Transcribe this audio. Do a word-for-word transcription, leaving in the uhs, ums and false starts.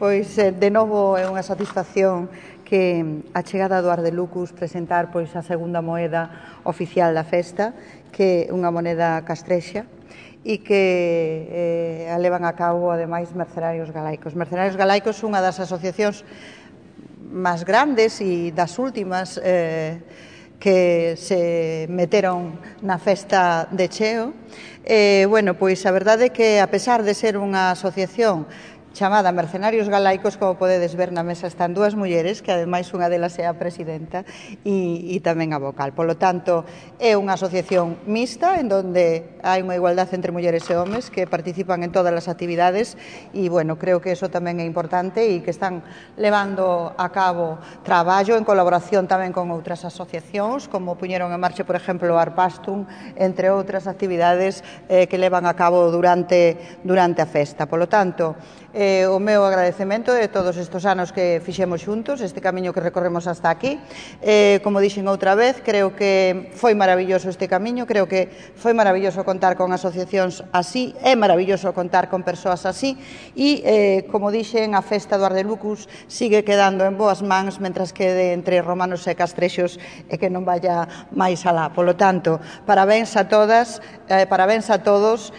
Pois, de novo, é unha satisfacción que a chegada do Ardelucus presentar pois a segunda moeda oficial da festa, que é unha moneda castrexa, e que eh, a levan a cabo, ademais, Mercenarios Galaicos. Mercenarios Galaicos é unha das asociacións máis grandes e das últimas eh, que se meteron na festa de cheo. Eh, bueno, pois a verdade é que, a pesar de ser unha asociación chamada Mercenarios Galaicos, como podedes ver na mesa están dúas mulleres, que ademais unha delas é a presidenta e, e tamén a vocal. Polo tanto, é unha asociación mixta en donde hai unha igualdade entre mulleres e homes que participan en todas as actividades e, bueno, creo que eso tamén é importante e que están levando a cabo traballo en colaboración tamén con outras asociacións, como puñeron en marcha, por exemplo, o Arpastrum, entre outras actividades eh, que levan a cabo durante, durante a festa. Polo tanto, Eh, o meu agradecemento de todos estes anos que fixemos xuntos, este camiño que recorremos hasta aquí. Eh, como dixen outra vez, creo que foi maravilloso este camiño, creo que foi maravilloso contar con asociacións así, é maravilloso contar con persoas así, e, eh, como dixen, a festa do Ardelucus sigue quedando en boas mans, mentras quede entre romanos e castrexos e que non vaya máis alá. Polo tanto, parabéns a todas, eh, parabéns a todos,